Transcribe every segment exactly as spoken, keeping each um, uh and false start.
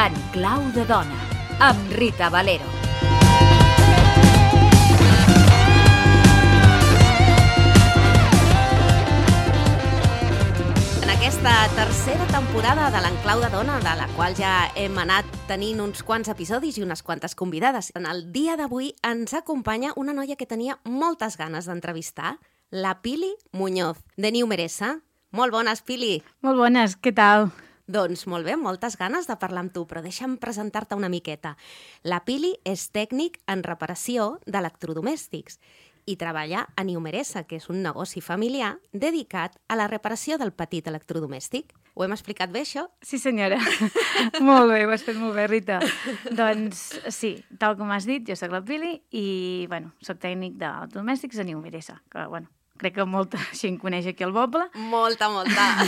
En clau de dona, amb Rita Valero. En aquesta tercera temporada de l'Enclau de Dona, de la qual ja hem anat tenint uns quants episodis i unes quantes convidades, en el dia d'avui ens acompanya una noia que tenia moltes ganes d'entrevistar, la Pili Muñoz, de New Meresa. Molt bones, Pili. Molt bones, què tal? Doncs molt bé, moltes ganes de parlar amb tu, però deixa'm presentar-te una miqueta. La Pili és tècnic en reparació d'electrodomèstics i treballa a New Meresa, que és un negoci familiar dedicat a la reparació del petit electrodomèstic. Ho hem explicat bé, això? Sí, senyora. Molt bé, ho has fet molt bé, Rita. Doncs sí, tal com has dit, jo soc la Pili i, bueno, soc tècnic d'electrodomèstics a New Meresa, que, bueno, crec que molta gent coneix aquí el poble. Molta, molta.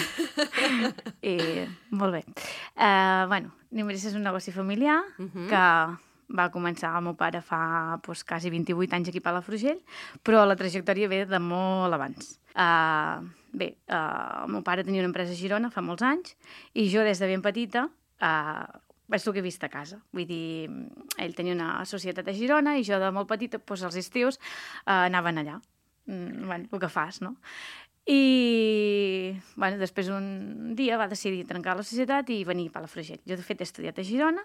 I molt bé. Uh, bueno, New Meresa és un negoci familiar uh -huh. que va començar el meu pare fa pues, quasi vint-i-vuit anys aquí a Palafrugell, però la trajectòria ve de molt abans. Uh, bé, uh, el meu pare tenia una empresa a Girona fa molts anys i jo des de ben petita uh, és el que he vist a casa. Vull dir, ell tenia una societat a Girona i jo de molt petita, pues, als estius, uh, anaven allà. Mm, bueno, el que fas, no? I, bueno, després un dia va decidir trencar la societat i venir a Palafrugell. Jo, de fet, he estudiat a Girona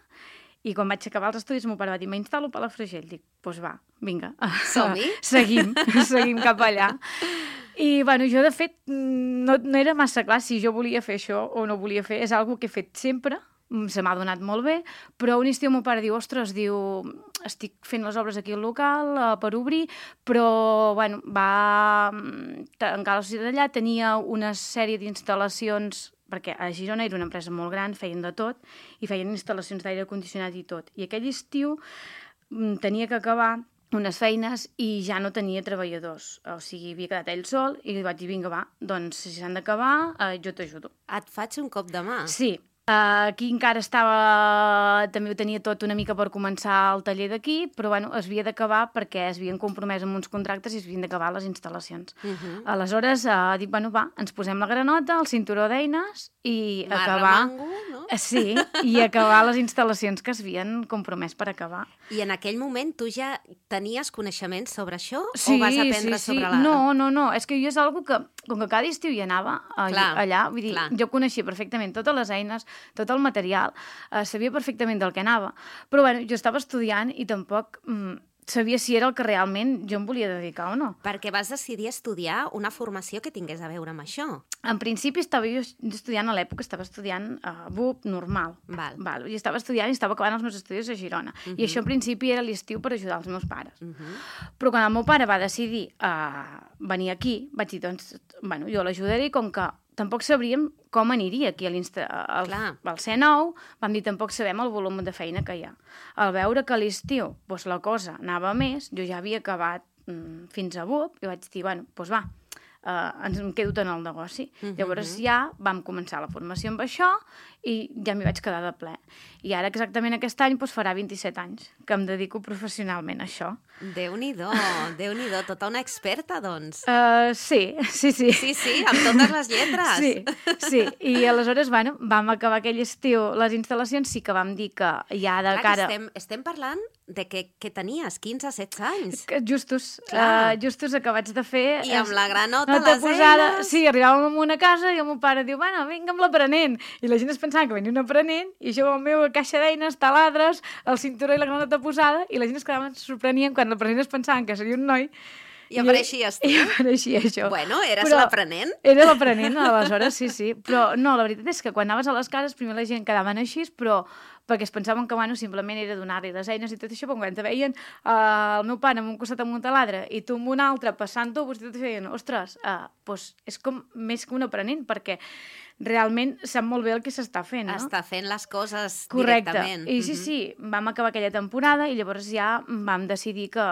i quan vaig acabar els estudis, el meu pare va dir, m'instal·lo a Palafrugell. Dic, doncs va, vinga. Som-hi? Seguim, seguim cap allà. I, bueno, jo, de fet, no, no era massa clar si jo volia fer això o no volia fer. És una que he fet sempre, se m'ha donat molt bé, però un estiu el meu pare diu, ostres, diu, estic fent les obres aquí al local uh, per obrir, però, bueno, va tancar la societat allà, tenia una sèrie d'instal·lacions, perquè a Girona era una empresa molt gran, feien de tot, i feien instal·lacions d'aire condicionat i tot. I aquell estiu tenia que acabar unes feines i ja no tenia treballadors, o sigui, havia quedat ell sol, i li vaig dir, vinga, va, doncs, si s'han d'acabar, uh, jo t'ajudo. Et faig un cop de mà. Sí. Uh, aquí encara estava, també ho tenia tot una mica per començar el taller d'aquí, però bueno, es havia d'acabar perquè es havien compromès amb uns contractes i es havien d'acabar les instal·lacions. Uh -huh. Aleshores, uh, dic, bueno, va, ens posem la granota, el cinturó d'eines i Marra acabar... mango, no? Sí, i acabar les instal·lacions que es havien compromès per acabar. I en aquell moment tu ja tenies coneixements sobre això? Sí, o vas aprendre sí, sí. sobre la... No, no, no, és que jo és algo que, com que cada estiu hi anava clar, allà, vull dir, clar. jo coneixia perfectament totes les eines, tot el material, eh, sabia perfectament del que anava, però bueno, jo estava estudiant i tampoc mm, sabia si era el que realment jo em volia dedicar o no. Perquè vas decidir estudiar una formació que tingués a veure amb això. En principi estava jo estudiant, a l'època estava estudiant uh, B U P normal. Val. Val. I estava estudiant i estava acabant els meus estudis a Girona. Uh -huh. I això en principi era l'estiu per ajudar els meus pares. Uh -huh. Però quan el meu pare va decidir uh, venir aquí, vaig dir, doncs, bueno, jo l'ajudaré, com que tampoc sabríem com aniria aquí a al, al C nou, vam dir, tampoc sabem el volum de feina que hi ha. Al veure que a l'estiu doncs, la cosa anava més, jo ja havia acabat mm, fins a B U P, i vaig dir, bueno, doncs va, uh, ens em quedo en el negoci. Uh -huh. Llavors ja vam començar la formació amb això i ja m'hi vaig quedar de ple. I ara exactament aquest any doncs, farà vint-i-set anys que em dedico professionalment a això. Déu-n'hi-do, Déu-n'hi-do, tota una experta, doncs. Uh, sí, sí, sí. Sí, sí, amb totes les lletres. Sí, sí. I aleshores, bueno, vam acabar aquell estiu les instal·lacions, sí que vam dir que ja de Clar, cara... Estem, estem parlant de que, que tenies quinze setze anys. Justos, uh, justos acabats de fer... I amb la granota, nota les posada, eines... Sí, arribàvem a una casa i el meu pare diu, bueno, vinga amb l'aprenent. I la gent es pensava que venia un aprenent i jo amb la meva caixa d'eines, taladres, el cinturó i la granota posada, i la gent es quedaven, sorprenien quan l'aprenent es pensaven que seria un noi. I apareixies tu. I apareixia això. Bueno, eres Però l'aprenent. Era l'aprenent, aleshores, sí, sí. Però no, la veritat és que quan anaves a les cases, primer la gent quedaven així, però perquè es pensaven que, bueno, simplement era donar-li les eines i tot això, però quan te veien uh, el meu pare amb un costat amb un taladre i tu amb un altre passant tubos i tot això, deien, ostres, uh, doncs és com més que un aprenent, perquè realment sap molt bé el que s'està fent, no? Està fent les coses Correcte. directament. I sí, sí, vam acabar aquella temporada i llavors ja vam decidir que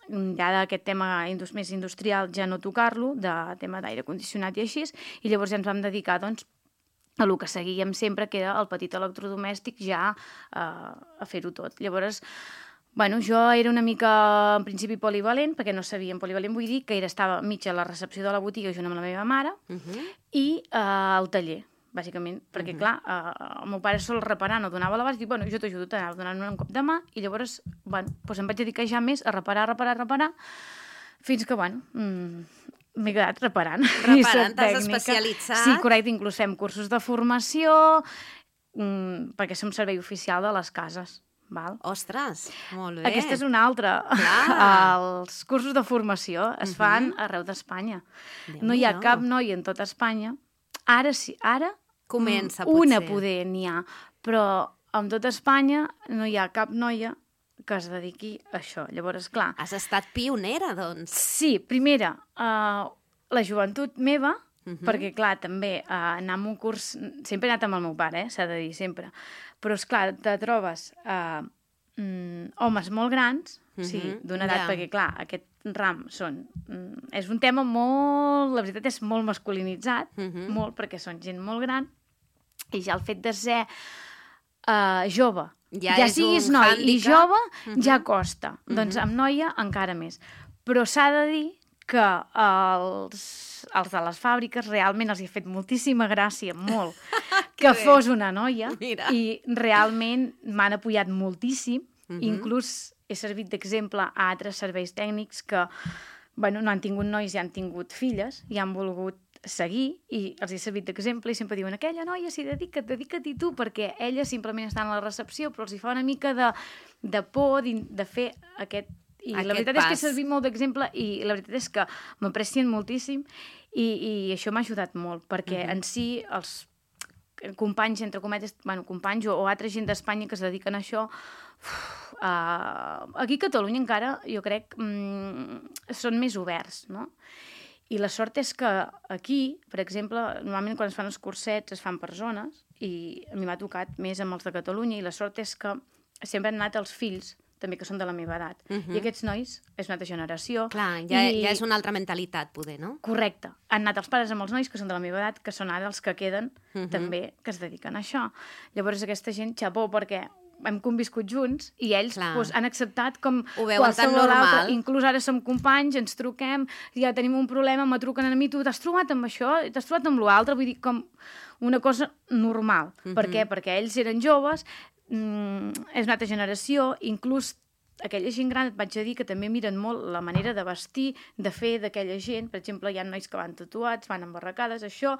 ja d'aquest tema més industrial ja no tocar-lo, de tema d'aire condicionat i així, i llavors ja ens vam dedicar, doncs, a el que seguíem sempre, que era el petit electrodomèstic, ja eh, a fer-ho tot. Llavors, Bueno, jo era una mica, en principi, polivalent, perquè no sabia, en polivalent vull dir que era, estava mitja a la recepció de la botiga junt amb la meva mare uh -huh. i eh, al taller, bàsicament, perquè, uh -huh. clar, eh, el meu pare sol reparar, no donava l'abast, i dic, bueno, jo t'ajudo, t'anava donant un cop de mà, i llavors, bueno, doncs em vaig dedicar ja més a reparar, reparar, reparar, fins que, bueno, mmm, m'he quedat reparant. Reparant, t'has especialitzat. Sí, correcte, inclús fem cursos de formació, mmm, perquè som servei oficial de les cases. Val? Ostres, molt bé. Aquesta és una altra. Clar. Els cursos de formació es fan uh-huh. arreu d'Espanya. No hi ha no. cap noia en tota Espanya. Ara sí, ara comença, una potser. poder n'hi ha, però en tota Espanya no hi ha cap noia que es dediqui a això. Llavors, clar... Has estat pionera, doncs. Sí, primera, uh, la joventut meva, uh-huh. perquè, clar, també uh, anar a un curs... Sempre he anat amb el meu pare, eh, s'ha de dir, sempre. Però, esclar, te trobes uh, mm, homes molt grans, uh-huh. o sigui, d'una edat, yeah. perquè, clar, aquest ram són... Mm, és un tema molt... La veritat és molt masculinitzat, uh-huh. molt, perquè són gent molt gran, i ja el fet de ser uh, jove, ja, ja siguis noi handicap. I jove, uh-huh. ja costa. Uh-huh. Doncs amb noia encara més. Però s'ha de dir que els, els de les fàbriques realment els hi ha fet moltíssima gràcia, molt, que bé. Fos una noia. Mira. I realment m'han apoyat moltíssim. Uh-huh. Inclús he servit d'exemple a altres serveis tècnics que bueno, no han tingut nois i han tingut filles i han volgut seguir i els he servit d'exemple i sempre diuen aquella noia, sí, dedica't, dedica't-hi tu, perquè ella simplement està en la recepció, però els hi fa una mica de, de por de, de fer aquest... I aquest la veritat pas. És que he servit molt d'exemple i la veritat és que m'aprecien moltíssim i, i això m'ha ajudat molt, perquè uh-huh. en si els companys, entre cometes, bueno, companys o, o altra gent d'Espanya que es dediquen a això, uf, uh, aquí a Catalunya encara, jo crec, mm, són més oberts, no? I la sort és que aquí, per exemple, normalment quan es fan els cursets es fan per zones i a mi m'ha tocat més amb els de Catalunya i la sort és que sempre han anat els fills també que són de la meva edat. Uh-huh. I aquests nois és una altra generació. Clar, ja, i... ja és una altra mentalitat, poder, no? Correcte. Han anat els pares amb els nois que són de la meva edat, que són ara els que queden uh-huh. també, que es dediquen a això. Llavors aquesta gent, xapó, perquè hem conviscut junts i ells pues, han acceptat com qualsevol altre. Inclús ara som companys, ens truquem, ja tenim un problema, me truquen a mi, tu t'has trobat amb això, t'has trobat amb l'altre, vull dir, com una cosa normal. Uh-huh. Per què? Perquè ells eren joves, mm, és una altra generació, inclús aquella gent gran, et vaig a dir que també miren molt la manera de vestir, de fer d'aquella gent. Per exemple, hi ha nois que van tatuats, van embarracades, això...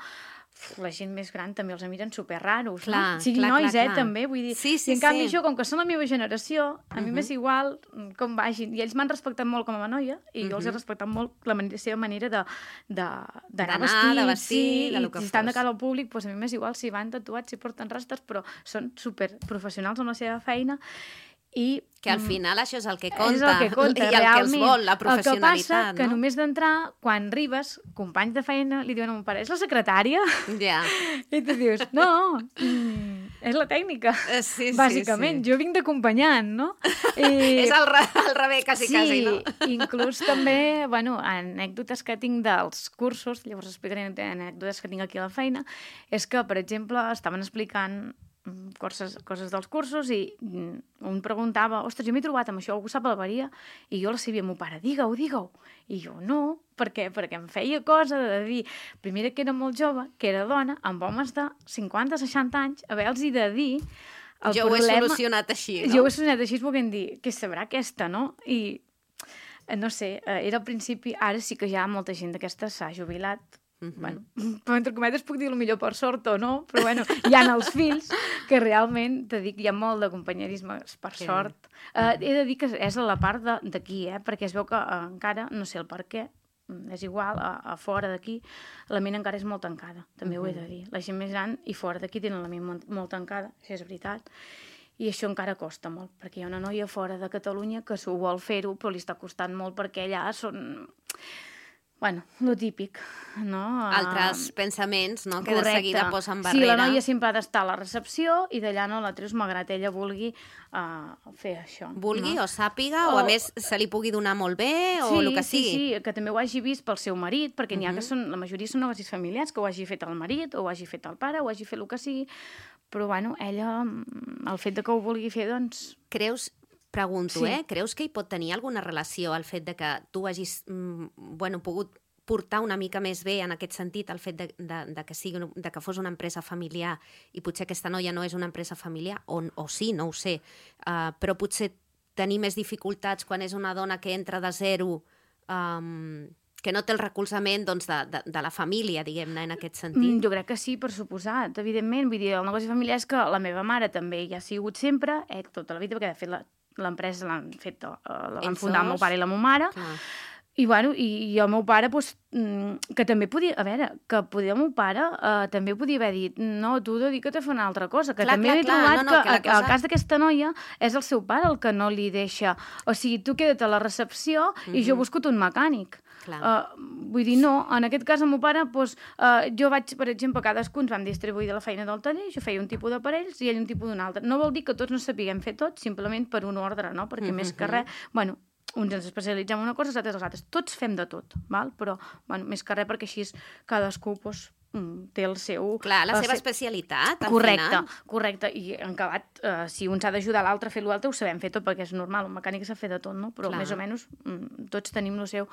La gent més gran també els miren superraros, clar, no? Siguin clar, nois, clar, eh, clar. també, vull dir... Sí, sí, I en canvi sí. jo, com que són la meva generació, a uh-huh. mi m'és igual com vagin. I ells m'han respectat molt com a noia, i uh-huh. jo els he respectat molt la manera, seva manera de, de, d'anar vestits, de vestir, sí, de lo que i si estan de cara al públic, doncs a mi m'és igual si van tatuats, si porten rastes, però són superprofessionals amb la seva feina. I, que al final això és el que compta, és el que compta i el realment. Que els vol, la professionalitat. El que passa no? que només d'entrar, quan arribes, companys de feina li diuen a mon pare, és la secretària? Ja. I tu dius, no, mm, és la tècnica, sí, bàsicament. Sí, sí. Jo vinc d'acompanyant, no? I... és al, re, al revés, quasi, sí, quasi, no? Inclús també, bueno, anècdotes que tinc dels cursos, llavors explicaré anècdotes que tinc aquí a la feina, és que, per exemple, estaven explicant coses, coses dels cursos i un preguntava, ostres, jo m'he trobat amb això, algú sap la varia? I jo la sabia, meu pare, digue-ho, digue-ho. I jo, no, per què? Perquè em feia cosa de dir, primera que era molt jove, que era dona, amb homes de cinquanta seixanta anys, haver-los de dir el jo problema... ho he solucionat així, no? Jo ho he solucionat així, volent dir, què sabrà aquesta, no? I, no sé, era al principi, ara sí que ja molta gent d'aquesta s'ha jubilat. Uh-huh. Bueno, però entre cometes puc dir el millor per sort o no, però bueno, hi ha els fills que realment, te dic, hi ha molt de companyerisme per que sort. Uh, he de dir que és a la part d'aquí, eh? Perquè es veu que uh, encara, no sé el per què, és igual, a, a fora d'aquí, la ment encara és molt tancada, també uh-huh. ho he de dir. La gent més gran i fora d'aquí tenen la ment molt, molt tancada, això és veritat. I això encara costa molt, perquè hi ha una noia fora de Catalunya que s'ho vol fer-ho, però li està costant molt perquè allà són... Bueno, lo típic, no? Altres uh, pensaments, no? Que correcte. De seguida posen barrera. Sí, la noia sempre ha d'estar a la recepció i d'allà no la treus malgrat ella vulgui uh, fer això. Vulgui no? o sàpiga, o... o a més se li pugui donar molt bé, o sí, el que sigui. Sí, sí, que també ho hagi vist pel seu marit, perquè uh-huh. n'hi ha que són, la majoria són negocis familiars, que ho hagi fet el marit, o ho hagi fet el pare, o ho hagi fet el que sigui, però bueno, ella, el fet de que ho vulgui fer, doncs... Creus Pregunto, Sí. eh? Creus que hi pot tenir alguna relació el fet de que tu hagis mm, bueno, pogut portar una mica més bé en aquest sentit el fet de, de, de, que, sigui, de que fos una empresa familiar i potser aquesta noia no és una empresa familiar, o, o sí, no ho sé, uh, però potser tenir més dificultats quan és una dona que entra de zero, um, que no té el recolzament doncs, de, de, de la família, diguem-ne, en aquest sentit? Mm, jo crec que sí, per suposat, evidentment. Vull dir, el negoci familiar és que la meva mare també hi ha sigut sempre, eh, tota la vida, perquè de fet la, l'empresa l'han fet, uh, la van Ells fundar el meu dos? pare i la meva mare. Clar. I, bueno, i, i el meu pare, doncs, que també podia... A veure, que podia el meu pare eh, també podia haver dit no, tu dedica't a fer una altra cosa. Que Clar, també clar, he clar, trobat no, no, que, que la que cosa- el cas d'aquesta noia és el seu pare el que no li deixa... O sigui, tu queda't a la recepció i jo he buscat un mecànic. Clar. Uh, vull dir, no, en aquest cas el meu pare, doncs, uh, jo vaig, per exemple, cadascun ens vam distribuir de la feina del taller, jo feia un tipus d'aparells i ell un tipus d'un altre. No vol dir que tots no sapiguem fer tot, simplement per un ordre, no? Perquè més que res, bueno, uns ens especialitzem en una cosa, els altres els altres. Tots fem de tot, val? Però, bueno, més que res perquè així cadascú doncs, té el seu... Clar, la el seva seu... especialitat, al Correcte, final. correcte. I en acabat, eh, si un s'ha d'ajudar l'altre a fer l'altre, ho sabem fer tot, perquè és normal, un mecànic s'ha fet de tot, no? Però Clar. més o menys mm, tots tenim el seu...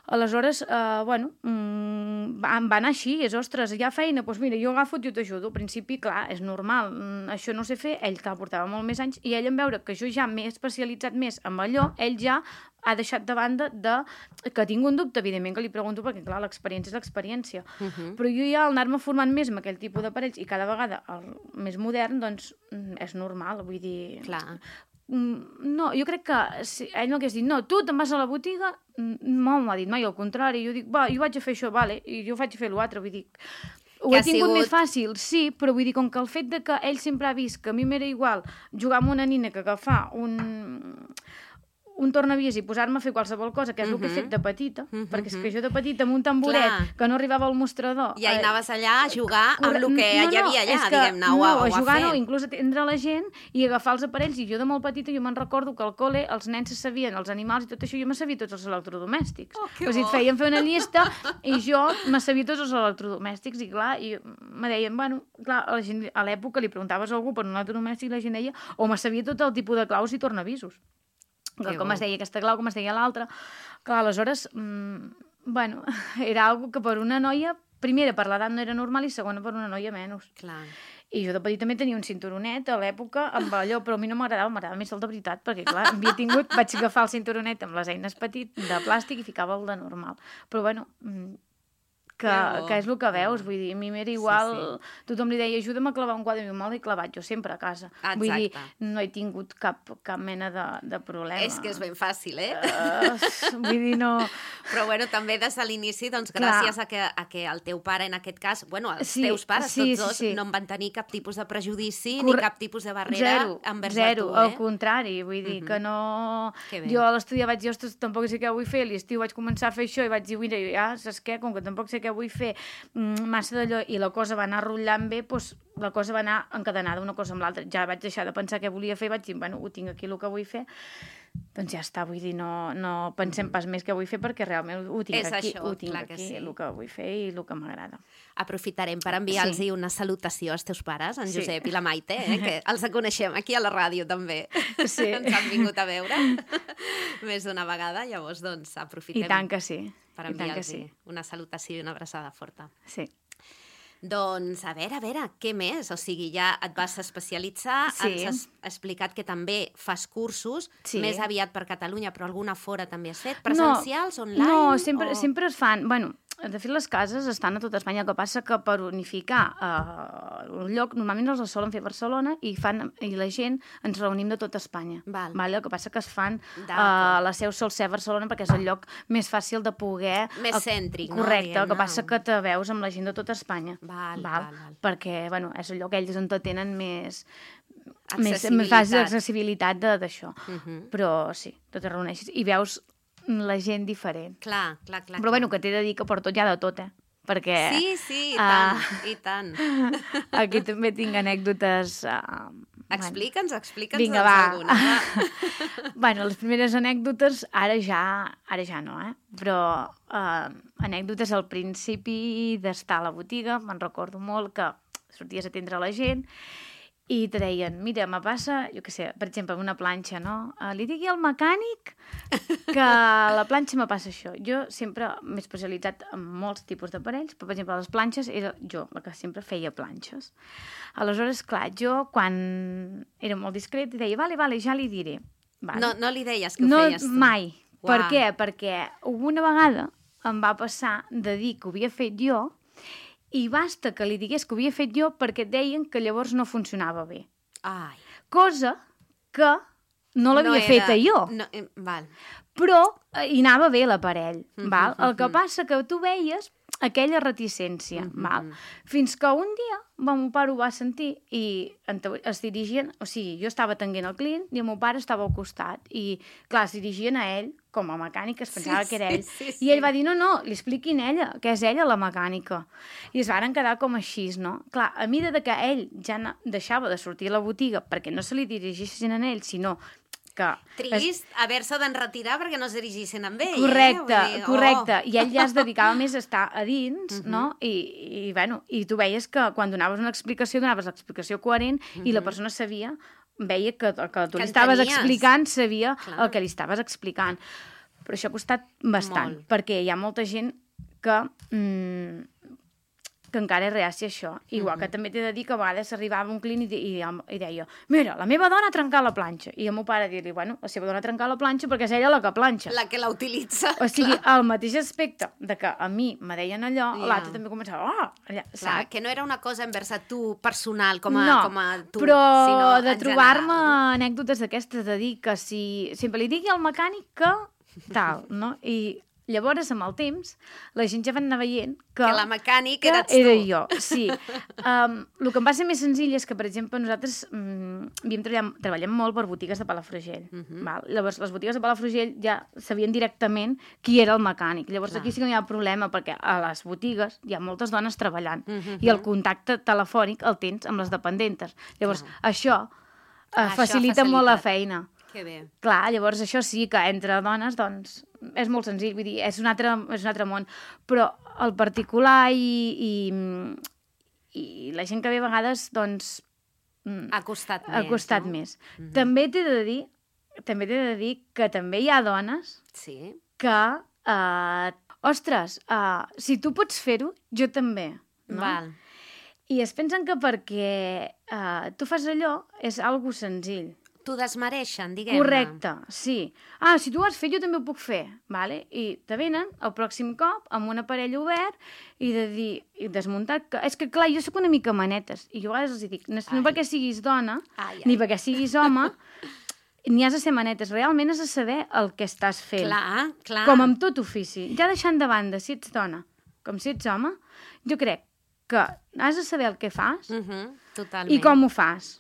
Aleshores, eh, bueno, mm, va, va anar així, és, ostres, hi ha feina, doncs mira, jo agafo i jo t'ajudo. Al principi, clar, és normal, mm, això no sé fer, ell que portava molt més anys, i ell en veure que jo ja m'he especialitzat més en allò, ell ja ha deixat de banda de... que tinc un dubte, evidentment, que li pregunto, perquè, clar, l'experiència és l'experiència. Uh -huh. Però jo ja, al anar-me formant més amb aquell tipus d'aparells, i cada vegada el més modern, doncs, mm, és normal, vull dir... Clar. No, jo crec que si ell no hagués dit, no, tu te'n vas a la botiga, no m'ho ha dit mai, al contrari, jo dic, va, jo vaig a fer això, vale, i jo vaig a fer l'altre, vull dir, ho Que he ha tingut sigut- més fàcil, sí, però vull dir, com que el fet de que ell sempre ha vist que a mi m'era igual jugar amb una nina que agafar un... un tornavies i posar-me a fer qualsevol cosa, que és el que he fet de petita, perquè és que jo de petita amb un tamboret Clar. que no arribava al mostrador... Ja hi eh, anaves allà a jugar amb Corre- el que no, no, hi havia allà, és que, diguem-ne, o, no, a, a o a jugar fer. no, inclús atendre la gent i agafar els aparells, i jo de molt petita jo me'n recordo que al col·le els nens se sabien els animals i tot això, jo me sabia tots els electrodomèstics. Oh, que o sigui, bo. et feien fer una llista i jo me sabia tots els electrodomèstics i clar, i me deien, bueno, clar, a, la gent, a l'època li preguntaves a algú per un electrodomèstic i la gent deia, o me sabia tot el tipus de claus i tornavisos. Que com bo. es deia aquesta clau, com es deia l'altra. Clar, aleshores, mmm, bueno, era algo que per una noia, primera, per l'edat no era normal i segona, per una noia menys. Clar. I jo de petit també tenia un cinturonet a l'època amb allò, però a mi no m'agradava, m'agradava més el de veritat, perquè clar, havia tingut, vaig agafar el cinturonet amb les eines petit de plàstic i ficava el de normal. Però bueno, mm, que, Que bo. que és el que veus, vull dir, a mi m'era igual, Sí, tothom li deia, ajuda'm a clavar un quadre, i me'l he clavat jo sempre a casa. Exacte. Vull dir, no he tingut cap, cap mena de, de problema. És que és ben fàcil, eh? Uh, vull dir, no... Però bueno, també des de l'inici, doncs gràcies a que, a que el teu pare, en aquest cas, bueno, els Sí, teus pares, sí, tots dos, sí, sí. no en van tenir cap tipus de prejudici Corre- ni cap tipus de barrera Zero, envers zero, de tu, eh? al contrari, vull dir que no... Que bé. Jo a l'estudiar vaig dir, ostres, tampoc sé què vull fer, a l'estiu vaig començar a fer això i vaig dir, mira, ja, saps què, com que tampoc sé què vull fer, mm, massa d'allò, i la cosa va anar rotllant bé, doncs la cosa va anar encadenada una cosa amb l'altra. Ja vaig deixar de pensar què volia fer i vaig dir, bueno, ho tinc aquí el que vull fer, doncs ja està, vull dir, no, no pensem pas més què vull fer perquè realment ho tinc És aquí, això, ho tinc clar que aquí, sí. el que vull fer i el que m'agrada. Aprofitarem per enviar-los Sí. una salutació als teus pares, en Sí. Josep i la Maite, eh? Que els coneixem aquí a la ràdio també. Sí. Ens han vingut a veure més d'una vegada, llavors doncs aprofitem I tant que sí, per i tant que enviar-los sí. una salutació i una abraçada forta. Sí. Doncs, a veure, a veure, què més? O sigui, ja et vas especialitzar, Sí. ens has explicat que també fas cursos, Sí. més aviat per Catalunya, però alguna fora també has fet? Presencials, no, online? No, sempre, o... sempre es fan... Bueno, de fet, les cases estan a tot Espanya, el que passa que per unificar eh, un lloc, normalment els solen fer a Barcelona i, fan, i la gent ens reunim de tot Espanya. Val. Vale? El que passa que es fan... D'acord. Eh, la seu sol ser a Barcelona perquè és el lloc més fàcil de poder... Més eh, cèntric, no? Correcte, el Diguem-ne. que passa que te veus amb la gent de tot Espanya. Val, val, val. Perquè, bueno, és el lloc ells on te tenen més... Més, Accessibilitat. més fàcil accessibilitat de- d'això. Uh -huh. Però sí, tu te reuneixes i veus la gent diferent. Clar, clar, clar. Però bueno, que t'he de dir que per tot hi ha de tot, eh? Perquè Sí, sí, i Ah. tant, i tant. aquí també tinc anècdotes... Uh, Explica'ns, explica'ns Vinga, doncs va. alguna. Va. Bueno, les primeres anècdotes ara ja, ara ja no, eh? Però uh, anècdotes al principi d'estar a la botiga, me'n recordo molt que sorties a atendre la gent i te deien, mira, me passa, jo què sé, per exemple, una planxa, no? Uh, li digui al mecànic que a la planxa me passa això. Jo sempre m'he especialitzat en molts tipus d'aparells, però, per exemple, les planxes era jo la que sempre feia planxes. Aleshores, clar, jo quan era molt discret deia, vale, vale, ja li diré. Vale. No, no li deies que ho no, feies tu? Mai. Uau. Per què? Perquè una vegada em va passar de dir que ho havia fet jo i basta que li digués que ho havia fet jo perquè et deien que llavors no funcionava bé. Ai. Cosa que no l'havia no era... feta jo. No, eh, val. Però eh, hi anava bé l'aparell, Mm-hmm, val? El que mm-hmm. passa que tu veies aquella reticència, Mm-hmm. val? Fins que un dia el meu pare ho va sentir i es dirigien, o sigui, jo estava atenent el client i el meu pare estava al costat i, clar, es dirigien a ell com a mecànic, es pensava sí, que era ell. Sí, sí, I ell va dir, no, no, li expliquin ella, que és ella la mecànica. I es varen quedar com així, no? Clar, a mida de que ell ja deixava de sortir a la botiga perquè no se li dirigissin a ell, sinó que... Trist es... haver-se d'enretirar perquè no es dirigissin amb ell. Correcte, eh? Dir, correcte. Oh. I ell ja es dedicava més a estar a dins, uh-huh. no? I, i, bueno, i tu veies que quan donaves una explicació, donaves l'explicació coherent uh-huh. i la persona sabia, veia que el que tu que li estaves entenies. explicant sabia Clar. el que li estaves explicant. Però això ha costat bastant, Molt. perquè hi ha molta gent que... Mm, que encara és reàcia a això. Igual mm-hmm. que també t'he de dir que a vegades arribava un client i, i, i deia, mira, la meva dona ha trencat la planxa. I el meu pare dir-li, bueno, la seva dona ha trencat la planxa perquè és ella la que planxa. La que la utilitza. O sigui, al mateix aspecte de que a mi me deien allò, yeah. l'altre també començava, oh, allà, Clar, saps? que no era una cosa envers a tu personal, com a, no, com a tu, però sinó de en trobar-me general. anècdotes d'aquestes, de dir que si sempre li digui al mecànic que tal, no? I llavors, amb el temps, la gent ja va anar veient que... Que la mecànic que eres tu. era jo, sí. Um, el que em va ser més senzill és que, per exemple, nosaltres um, havíem treballat, treballem molt per botigues de Palafrugell. Uh-huh. Val? Llavors, les botigues de Palafrugell ja sabien directament qui era el mecànic. Llavors, Clar. Aquí sí que no hi ha problema, perquè a les botigues hi ha moltes dones treballant uh-huh. i el contacte telefònic el tens amb les dependentes. Llavors, Clar. això, uh, això facilita facilita molt la feina. Que bé. Clar, llavors això sí que entre dones, doncs, és molt senzill, vull dir, és un altre, és un altre món, però el particular i, i, i la gent que ve a vegades, doncs... Ha costat ha més, costat no? més. Mm-hmm. També t'he de dir, també t'he de dir que també hi ha dones sí. que, uh, ostres, uh, si tu pots fer-ho, jo també. No? Val. I es pensen que perquè uh, tu fas allò és algo senzill. T'ho desmereixen, diguem-ne. Correcte, sí. Ah, si tu ho has fet, jo també ho puc fer, vale? I te venen el pròxim cop amb un aparell obert i de dir, i desmuntat, que és que clar, jo sóc una mica manetes, i jo a vegades els dic, no, no perquè siguis dona, ai, ai. ni perquè siguis home, ni has de ser manetes, realment has de saber el que estàs fent. Clar, clar. Com amb tot ofici. Ja deixant de banda si ets dona, com si ets home, jo crec que has de saber el que fas uh-huh, totalment. i com ho fas.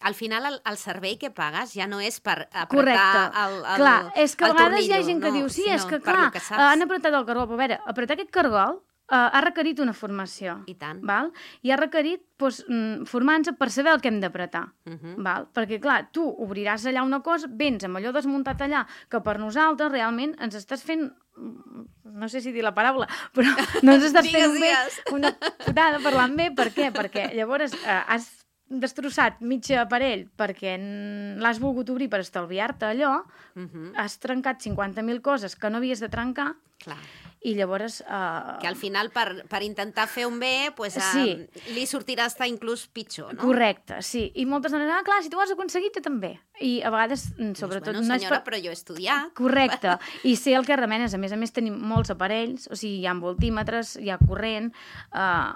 Al final, el, el servei que pagues ja no és per apretar Correcte. el, el clar, és que a vegades tornillo, hi ha gent que no, diu, sí, és que per clar, que saps. han apretat el cargol, però a veure, apretar aquest cargol uh, ha requerit una formació. I tant. Val? I ha requerit doncs, formar-nos per saber el que hem d'apretar. Uh-huh. Val? Perquè, clar, tu obriràs allà una cosa, vens amb allò desmuntat allà, que per nosaltres realment ens estàs fent, no sé si dir la paraula, però no ens estàs fent bé una putada parlant bé. Per què? Perquè llavors uh, has destrossat mig aparell perquè l'has volgut obrir per estalviar-te allò, uh-huh. has trencat cinquanta mil coses que no havies de trencar. Clar. I llavors... Uh... Que al final, per, per intentar fer un bé, pues, uh, sí. li sortirà estar inclús pitjor, no? Correcte, sí. I moltes dones, ah, clar, si tu ho has aconseguit, jo també. I a vegades, sobretot... Pues, bueno, senyora, no és per... però jo he estudiat. Correcte. I sé el que remenes. A més a més, tenim molts aparells, o sigui, hi ha voltímetres, hi ha corrent... Uh...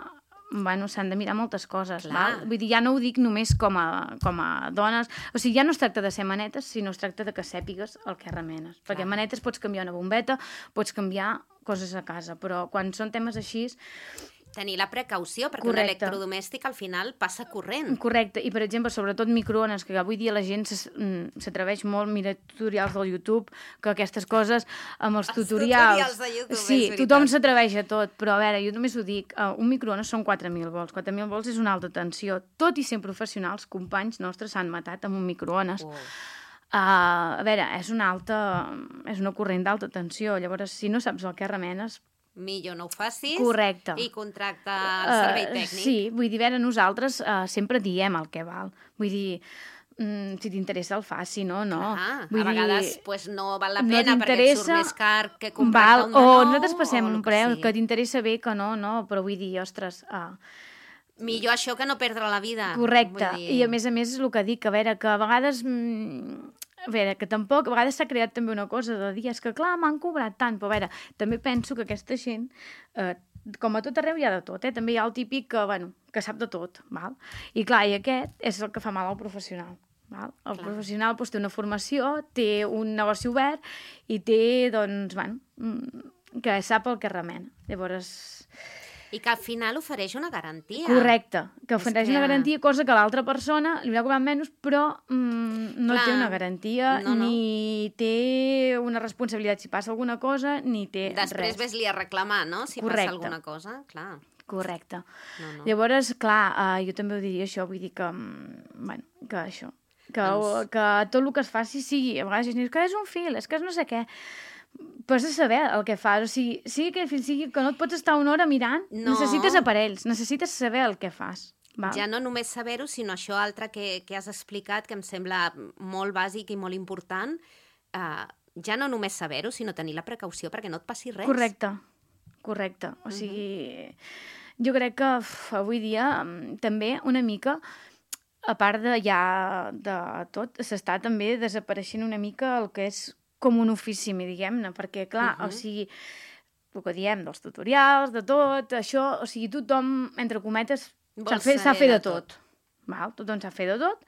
bueno, s'han de mirar moltes coses, val? Vull dir, ja no ho dic només com a, com a dones, o sigui, ja no es tracta de ser manetes, sinó es tracta de que sàpigues el que remenes, perquè Clar. manetes pots canviar una bombeta, pots canviar coses a casa, però quan són temes així... Tenir la precaució, perquè Correcte. un electrodomèstic al final passa corrent. Correcte, i per exemple, sobretot microones, que avui dia la gent s'atreveix molt, mira tutorials del YouTube, que aquestes coses, amb els, els tutorials... tutorials de YouTube, sí, és tothom veritat. s'atreveix a tot, però a veure, jo només ho dic, uh, un microones són quatre mil volts, quatre mil volts és una alta tensió, tot i sent professionals, companys nostres s'han matat amb un microones. Oh. Uh, a veure, és una alta, és una corrent d'alta tensió, llavors si no saps el que remenes, millor no ho facis. Correcte. I contracta el servei Uh, tècnic. sí, vull dir, a veure, nosaltres uh, sempre diem el que val. Vull dir, mm, si t'interessa el faci, no? no. Ah, vull a dir, vegades pues, no val la no pena perquè et surt t'interessa, més car que contractar val, un de nou. o nosaltres passem o un el que preu, sigui. que t'interessa bé, que no, no, però vull dir, ostres... Uh, Millor això que no perdre la vida. correcte, Vull dir... i a més a més és el que dic, a veure, que a vegades... Mm, a veure, que tampoc... A vegades s'ha creat també una cosa de dir, és que clar, m'han cobrat tant, però a veure, també penso que aquesta gent... Eh, com a tot arreu hi ha de tot, eh? També hi ha el típic que, bueno, que sap de tot, val? I clar, i aquest és el que fa mal al professional. Val? El clar. Professional doncs, té una formació, té un negoci obert i té, doncs, bueno, que sap el que remena. Llavors... I que al final ofereix una garantia. Correcte, que ofereix que... una garantia, cosa que l'altra persona li haurà cobrat menys, però mm, no Clar, té una garantia, no, no. ni té una responsabilitat si passa alguna cosa, ni té Després res. ves-li a reclamar, no?, si Correcte. passa alguna cosa, clar. Correcte. No, no. Llavors, clar, uh, jo també ho diria això, vull dir que, mm, bueno, que això, que, Doncs... que tot el que es faci sigui, a vegades és que és un fil, és que és no sé què, però has de saber el que fas, o sigui, sigui que el fil sigui que no et pots estar una hora mirant, No. necessites aparells, necessites saber el que fas. Val? Ja no només saber-ho, sinó això altre que, que has explicat, que em sembla molt bàsic i molt important, uh, ja no només saber-ho, sinó tenir la precaució perquè no et passi res. Correcte, correcte. O sigui, uh-huh. jo crec que uf, avui dia um, també una mica, a part de ja de tot, s'està també desapareixent una mica el que és com un ofici, diguem-ne, perquè, clar, uh-huh. o sigui, el que diem dels tutorials, de tot, això, o sigui, tothom, entre cometes, sap fer, sap fer de tot. tot. Val? Tothom sap fer de tot,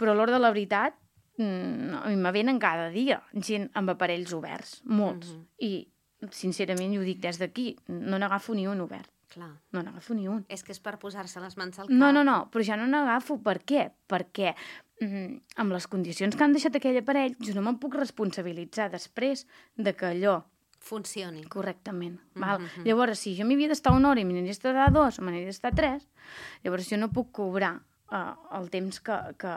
però a l'hora de la veritat, mm, a mi me venen cada dia gent amb aparells oberts, molts. Uh-huh. I, sincerament, jo ho dic des d'aquí, no n'agafo ni un obert. Clar. No n'agafo ni un. És que és per posar-se les mans al cap. No, no, no, però ja no n'agafo. Per què? Perquè mm, amb les condicions que han deixat aquell aparell, jo no me'n puc responsabilitzar després de que allò funcioni. Correctament. Val? Mm-hmm. Llavors, si jo m'hi havia d'estar una hora i m'hi n'hi d'estar dos o m'hi n'hi d'estar tres, llavors jo no puc cobrar uh, el temps que... que...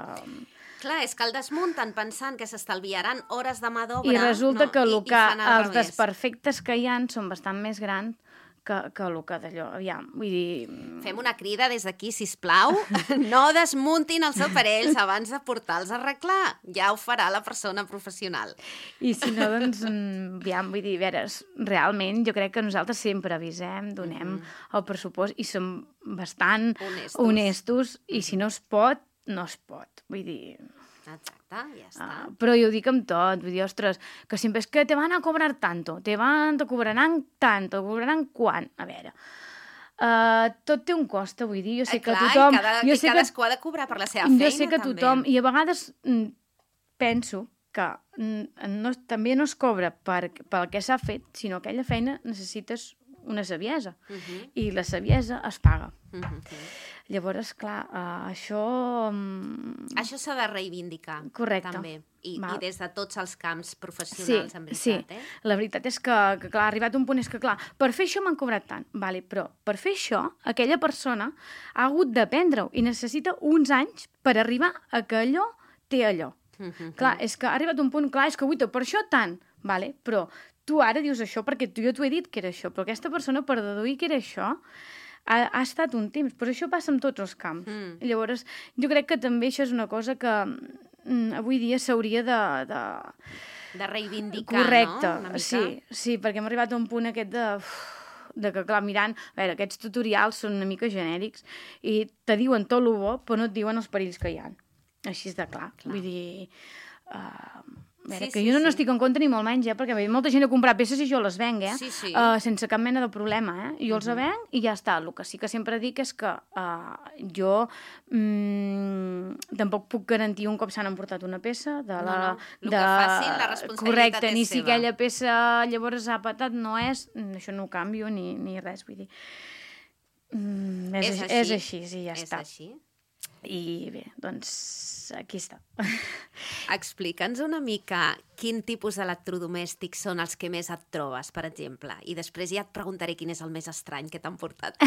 Clar, és que el desmunten pensant que s'estalviaran hores de mà d'obra. I resulta no? que, I, el que i fan al els revés. desperfectes que hi ha són bastant més grans que, que el que d'allò, aviam, vull dir... Fem una crida des d'aquí, sisplau, no desmuntin els aparells abans de portar-los a arreglar. Ja ho farà la persona professional. I si no, doncs, aviam, vull dir, a veure, realment jo crec que nosaltres sempre avisem, donem mm-hmm. el pressupost i som bastant honestos. honestos i si no es pot, no es pot. Vull dir... Exacte, ja està. Ah, però jo ho dic amb tot, vull dir, ostres, que sempre és que te van a cobrar tanto, te van, te cobraran tant, te cobraran quan? A veure, uh, tot té un cost, vull dir, jo sé eh, que clar, tothom... I, cada, jo i sé cadascú que, ha de cobrar per la seva feina, jo sé que també. tothom, i a vegades mm, penso que mm, no, també no es cobra per, pel que s'ha fet, sinó que aquella feina necessites una saviesa, uh-huh. i la saviesa es paga. Uh-huh. Llavors, clar, uh, això... Um... Això s'ha de reivindicar. Correcte. També. I, I des de tots els camps professionals, sí, en veritat. Sí, eh? La veritat és que, que, clar, ha arribat un punt, és que, clar, per fer això m'han cobrat tant, vale, però per fer això, aquella persona ha hagut d'aprendre-ho i necessita uns anys per arribar a que allò té allò. Uh-huh. Clar, és que ha arribat un punt, clar, és que, uita, per això tant, vale, però tu ara dius això perquè tu, jo t'ho he dit que era això, però aquesta persona, per deduir que era això, ha, ha estat un temps, però això passa en tots els camps. Mm. Llavors, jo crec que també això és una cosa que mm, avui dia s'hauria de, de... De reivindicar, correcte, no? Una mica. Sí, sí, perquè hem arribat a un punt aquest de... Uf, de que, clar, mirant... A veure, aquests tutorials són una mica genèrics i te diuen tot el bo, però no et diuen els perills que hi ha. Així és de clar. clar. Vull dir... Uh, A veure, sí, que sí, jo no, sí. no estic en contra ni molt menys, eh? Perquè ve molta gent a comprar peces i jo les venc, eh? Sí, sí. Uh, sense cap mena de problema, eh? Jo uh-huh. els venc i ja està. El que sí que sempre dic és que uh, jo mm, tampoc puc garantir un cop s'han emportat una peça de la... No, no. El de... que facin, la responsabilitat correcte, és ni seva. si aquella peça llavors ha patat, no és... Això no ho canvio ni, ni res, vull dir... Mm, és, és, així, així. és així, sí, ja és està. Així. I bé, doncs aquí està. Explica'ns una mica quin tipus d'electrodomèstics són els que més et trobes, per exemple, i després ja et preguntaré quin és el més estrany que t'han portat.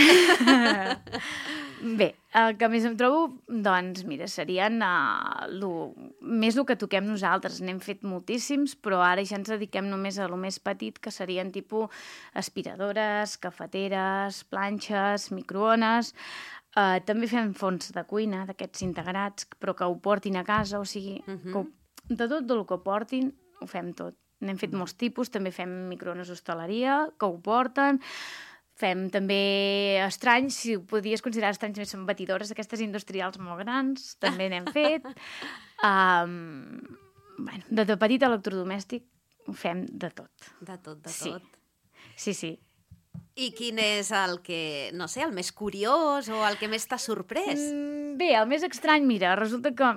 Bé, el que més em trobo, doncs, mira, serien uh, lo, més el que toquem nosaltres. N'hem fet moltíssims, però ara ja ens dediquem només a lo més petit, que serien tipus aspiradores, cafeteres, planxes, microones. Uh, també fem fons de cuina, d'aquests integrats, però que ho portin a casa, o sigui, uh-huh. que ho, de tot el que portin, ho fem tot. N'hem fet molts tipus, també fem microones d'hostaleria, que ho porten. Fem també estranys, si ho podies considerar estranys, també són batidores d'aquestes industrials molt grans, també n'hem fet. Um, bueno, de, de petit electrodomèstic ho fem de tot. De tot, de sí. tot. Sí, sí. I quin és el que, no sé, el més curiós o el que més t'ha sorprès? Mm, bé, el més estrany, mira, resulta que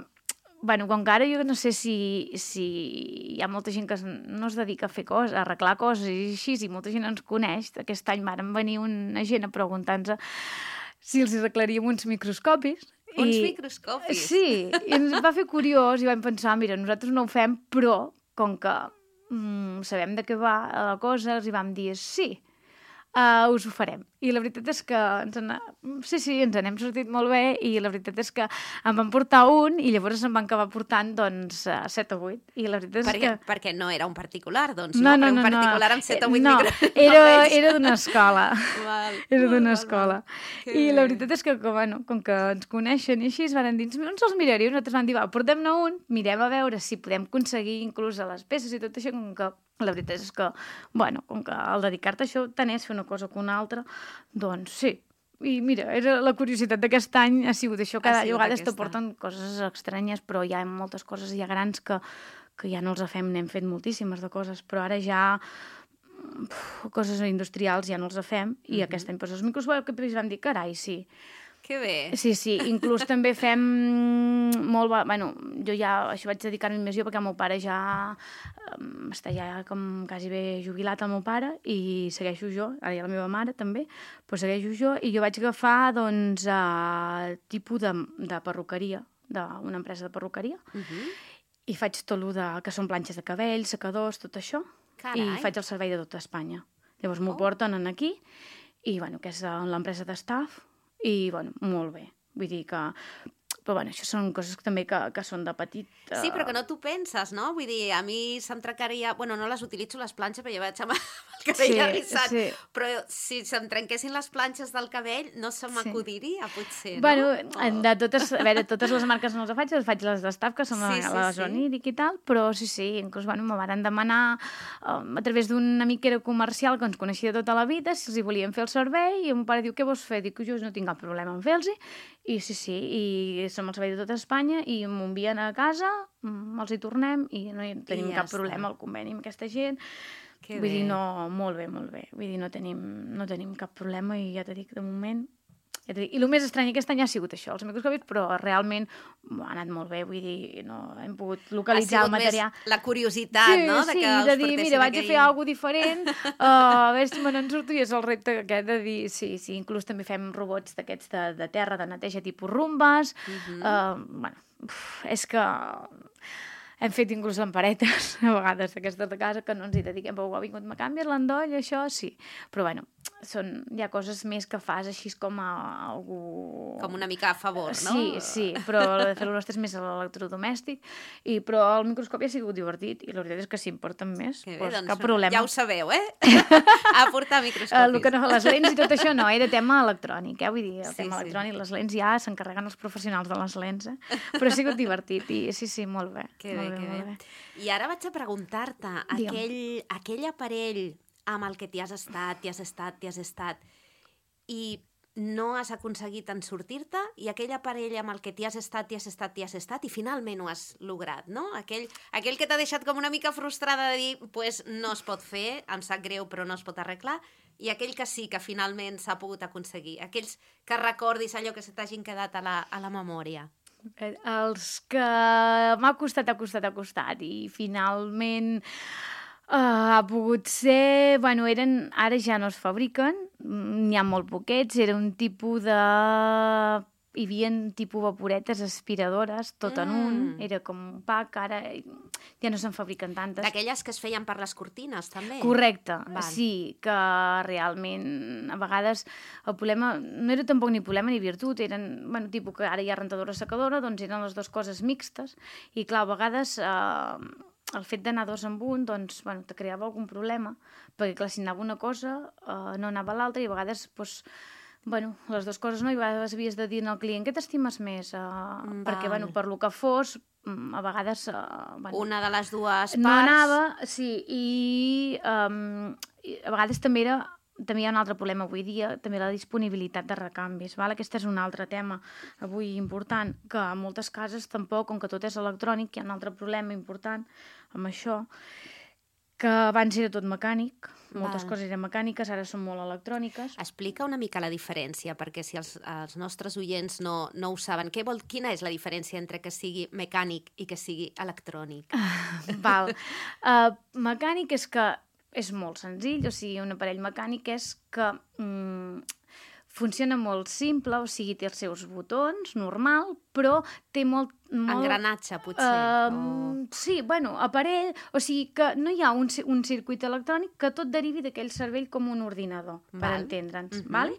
bueno, com que ara jo no sé si, si hi ha molta gent que no es dedica a fer coses, a arreglar coses i així, i molta gent ens coneix. Aquest any varen venir una gent a preguntar-nos si els arreglaríem uns microscopis. Uns I, microscopis? Sí, i ens va fer curiós i vam pensar, mira, nosaltres no ho fem, però com que mm, sabem de què va la cosa, els hi vam dir sí, uh, us ho farem. I la veritat és que ens en... sí, sí, ens n'hem sortit molt bé i la veritat és que em van portar un i llavors em van acabar portant, doncs, set o vuit. I la veritat és perquè, que... Perquè no era un particular, doncs, no? No, no, no, un particular no. amb set o vuit no, micro... era, era d'una escola. Val, era d'una val, escola. val. I la veritat és que, com, bueno, com que ens coneixen i així, es van dir, on se'ls miraria? Nosaltres vam dir, va, portem-ne un, mirem a veure si podem aconseguir inclús a les peces i tot això, com que la veritat és que, bueno, com que al dedicar-te a això tant és fer una cosa que una altra, doncs sí. I mira, era la curiositat d'aquest any ha sigut això, cada vegada te porten coses estranyes, però hi ha moltes coses ja grans que, que ja no els fem, n'hem fet moltíssimes de coses, però ara ja uf, coses industrials ja no els fem, i uh-huh. aquest any doncs, els microscopis vam dir, carai, sí. Que bé. Sí, sí, inclús també fem molt... Bueno, jo ja això vaig dedicar-me més jo perquè el meu pare ja um, està ja com quasi bé jubilat, el meu pare, i segueixo jo, ara ja la meva mare també, però segueixo jo, i jo vaig agafar, doncs, uh, tipus de, de perruqueria, d'una empresa de perruqueria, uh-huh. i faig tot el de, que són planxes de cabell, secadors, tot això, Carai. I faig el servei de tota Espanya. Llavors m'ho oh. porten aquí, i bueno, que és l'empresa de staff, i, bueno, molt bé. Vull dir que... Però, bueno, això són coses que també que, que són de petit... Uh... Sí, però que no t'ho penses, no? Vull dir, a mi se'm trencaria... Bueno, no les utilitzo, les planxes, perquè jo vaig amb el cabell sí, arrissat. Sí. Però si se'm trenquessin les planxes del cabell, no se m'acudiria, sí. potser, no? Bueno, oh. de totes... A veure, totes les marques no les faig, les faig les d'Staff, que són sí, sí, la sí. Zonidic i tal, però sí, sí, inclús, bueno, me van demanar um, a través d'un amic que era comercial, que ens coneixia tota la vida, si els hi volien fer el servei, i el meu pare diu, què vols fer? Dic, jo no tinc cap problema en fer-los, i sí, sí, i som el servei de tota Espanya i m'ho envien a casa, els hi tornem i no hi tenim I cap ja problema al conveni amb aquesta gent. Que Vull bé. dir, no, molt bé, molt bé. Vull dir, no tenim, no tenim cap problema i ja t'he dit, de moment... Ja t'he dit. I el més estrany aquest any ha sigut això, els microscopis, però realment ha anat molt bé, vull dir, no hem pogut localitzar el material. Ha sigut més la curiositat, sí, no? De sí, que de dir, mira, vaig aquell... a fer alguna cosa diferent, uh, a veure si me n'en surto, i és el repte aquest de dir, sí, sí, inclús també fem robots d'aquests de, de terra, de neteja tipus rumbes, uh-huh. uh, bueno, uf, és que... Hem fet inclús lamparetes, a vegades, d'aquestes de casa, que no ens hi dediquem, però ha vingut, me canvies l'endoll, això, sí. Però, bueno, són, hi ha coses més que fas així com a algú... Com una mica a favor, no? Sí, sí, però la de fer-ho nostre és més a l'electrodomèstic, i, però el microscopi ha sigut divertit, i la veritat és que si em porten més, bé, doncs, doncs cap problema. Ja ho sabeu, eh? A portar microscopis. El que no fa les lents i tot això no, era tema electrònic, eh? Vull dir, el sí, tema sí. electrònic, les lents ja s'encarreguen els professionals de les lents, eh? Però ha sigut divertit, i sí, sí, molt bé. Que bé. Que bé. I ara vaig a preguntar-te, aquell, aquell aparell amb el que t'hi has estat, t'hi has estat, t'hi has estat, i no has aconseguit en sortir-te, i aquell aparell amb el que t'hi has estat, t'hi has estat, t'hi has estat, i finalment ho has lograt, no? Aquell, aquell que t'ha deixat com una mica frustrada de dir, pues no es pot fer, em sap greu, però no es pot arreglar, i aquell que sí, que finalment s'ha pogut aconseguir. Aquells que recordis allò que se t'hagin quedat a la, a la memòria. Els que m'ha costat, ha costat, ha costat i finalment uh, ha pogut ser... Bueno, eren, ara ja no es fabriquen, n'hi ha molt poquets, era un tipus de hi havia tipus vaporetes aspiradores, tot en un, era com un pack, ara ja no se'n fabriquen tantes. D'aquelles que es feien per les cortines, també? Correcte, Val. sí, que realment a vegades el problema no era tampoc ni problema ni virtut, eren, bueno, tipus que ara hi ha rentadora-secadora, doncs eren les dues coses mixtes, i clar, a vegades eh, el fet d'anar dos en un, doncs, bueno, te creava algun problema, perquè clar, si anava una cosa, eh, no anava l'altra, i a vegades, doncs, bueno, les dues coses no, i a vegades havies de dir al client què t'estimes més, uh, perquè, bueno, per lo que fos, a vegades... Uh, bueno, una de les dues parts... No anava, sí, i, um, i a vegades també era... També hi ha un altre problema avui dia, també la disponibilitat de recanvis. Val? Aquest és un altre tema avui important, que en moltes cases tampoc, com que tot és electrònic, hi ha un altre problema important amb això, que abans era tot mecànic, moltes Val. Coses eren mecàniques, ara són molt electròniques. Explica una mica la diferència, perquè si els, els nostres oients no, no ho saben, què vol, quina és la diferència entre que sigui mecànic i que sigui electrònic? Uh, val. Uh, mecànic és que és molt senzill, o sigui, un aparell mecànic és que... Mm, funciona molt simple, o sigui, té els seus botons, normal, però té molt... molt engranatge, potser. Uh, o... Sí, bueno, aparell, o sigui que no hi ha un, un circuit electrònic que tot derivi d'aquell cervell com un ordinador, Val. Per entendre'ns, uh-huh. Vale?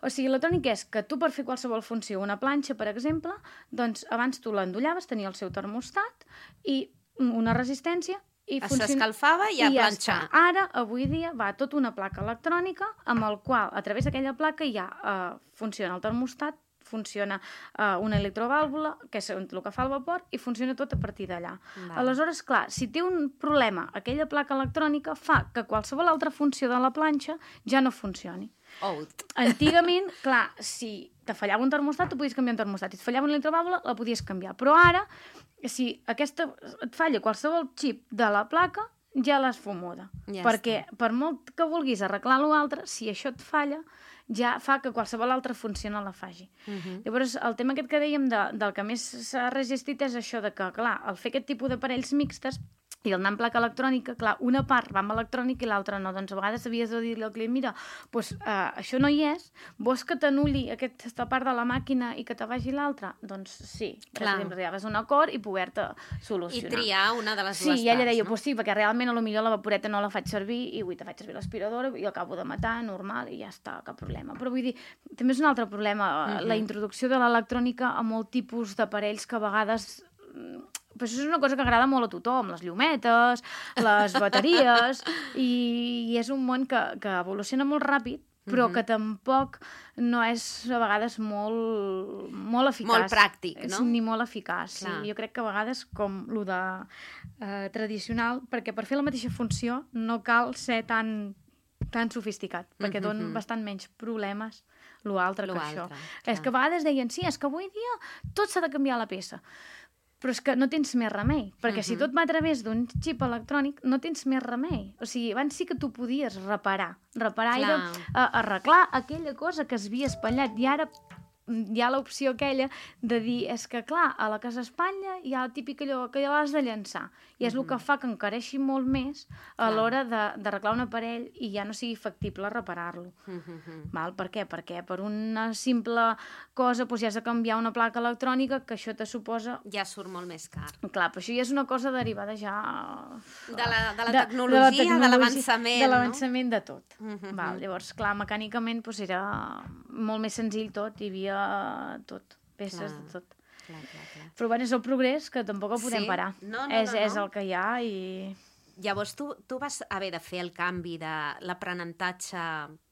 O sigui, l'electrònic és que tu per fer qualsevol funció, una planxa, per exemple, doncs abans tu l'endollaves, tenia el seu termostat i una resistència, i s'escalfava i a I planxar. Ja Ara, avui dia, va tota una placa electrònica amb el qual, a través d'aquella placa, ja uh, funciona el termostat, funciona uh, una electrovàlvula, que és el que fa el vapor, i funciona tot a partir d'allà. Aleshores, clar, si té un problema aquella placa electrònica, fa que qualsevol altra funció de la planxa ja no funcioni. Out. Antigament, clar, si te fallava un termostat, tu podies canviar un termostat. Si et fallava una electrovàlvula, la podies canviar. Però ara, si aquesta et falla qualsevol xip de la placa, ja l'has fumuda. Ja perquè està. Per molt que vulguis arreglar l'altre, si això et falla, ja fa que qualsevol altra funció no la faci. Uh-huh. Llavors, el tema aquest que dèiem de, del que més s'ha resistit és això de que, clar, al fer aquest tipus d'aparells mixtes, i el anar amb placa electrònica, clar, una part va amb electrònica i l'altra no. Doncs a vegades havies de dir-li al client, mira, doncs, uh, això no hi és, vols que t'anul·li aquesta part de la màquina i que te vagi l'altra? Doncs sí. Clar. Per exemple, arribaves a un acord i poder-te solucionar. I triar una de les sí, dues parts. Sí, i ella deia, no? Pues sí, perquè realment a lo millor la vaporeta no la faig servir i avui te faig servir l'aspiradora i acabo de matar, normal, i ja està, cap problema. Però vull dir, també és un altre problema, uh-huh. la introducció de l'electrònica a molt tipus d'aparells que a vegades... Però això és una cosa que agrada molt a tothom, les llumetes, les bateries, i, i és un món que, que evoluciona molt ràpid, però uh-huh. que tampoc no és a vegades molt, molt eficaç. Molt pràctic, no? Ni molt eficaç. Sí. Jo crec que a vegades, com el de eh, tradicional, perquè per fer la mateixa funció no cal ser tan, tan sofisticat, perquè uh-huh. donen bastant menys problemes l'altre que això. Clar. És que a vegades deien, sí, és que avui dia tot s'ha de canviar la peça. Però és que no tens més remei, perquè uh-huh. si tot va a través d'un xip electrònic, no tens més remei. O sigui, abans sí que tu podies reparar. Reparar Clar. Era uh, arreglar aquella cosa que es havia espatllat, i ara hi ha l'opció aquella de dir, és que clar, a la que s'espatlla hi ha el típic allò que ja l'has de llançar, i és uh-huh. el que fa que encareixi molt més a l'hora d'arreglar un aparell i ja no sigui factible reparar-lo. Uh-huh. Val? Per què? Perquè per una simple cosa doncs ja has de canviar una placa electrònica, que això te suposa... Ja surt molt més car. Clar, però això ja és una cosa derivada ja... De la, de la tecnologia, de, de, la tecnologia, de l'avançament, de l'avançament no? de tot. Uh-huh. Val? Llavors, clar, mecànicament doncs era molt més senzill tot, hi havia tot, peces clar, de tot. Clar, clar, clar. Però bueno, és el progrés, que tampoc el podem sí? parar. No, no, és, no, no. és el que hi ha i... Llavors, tu, tu vas haver de fer el canvi de l'aprenentatge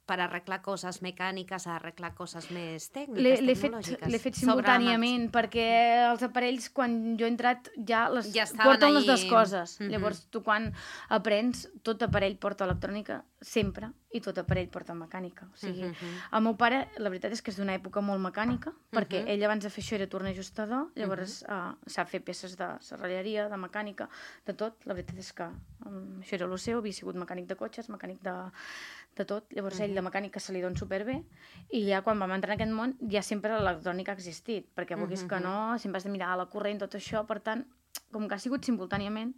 per arreglar coses mecàniques a arreglar coses més tècniques, tecnològiques. L'he fet simultàniament, perquè els aparells, quan jo he entrat, ja, les, ja porten ahí... les dues coses. Mm-hmm. Llavors, tu quan aprens, tot aparell porta electrònica, sempre, i tot aparell porta mecànica. O sigui, mm-hmm. el meu pare, la veritat és que és d'una època molt mecànica, perquè mm-hmm. ell abans de fer això era tornajustador, llavors mm-hmm. uh, sap fer peces de serralleria, de mecànica, de tot. La veritat és que um, això era el seu, havia sigut mecànic de cotxes, mecànic de, de tot. Llavors mm-hmm. ell de mecànica se li dona superbé, i ja quan vam entrar en aquest món ja sempre l'electrònica ha existit, perquè vulguis mm-hmm. que no, sempre has de mirar la corrent, tot això, per tant, com que ha sigut simultàniament,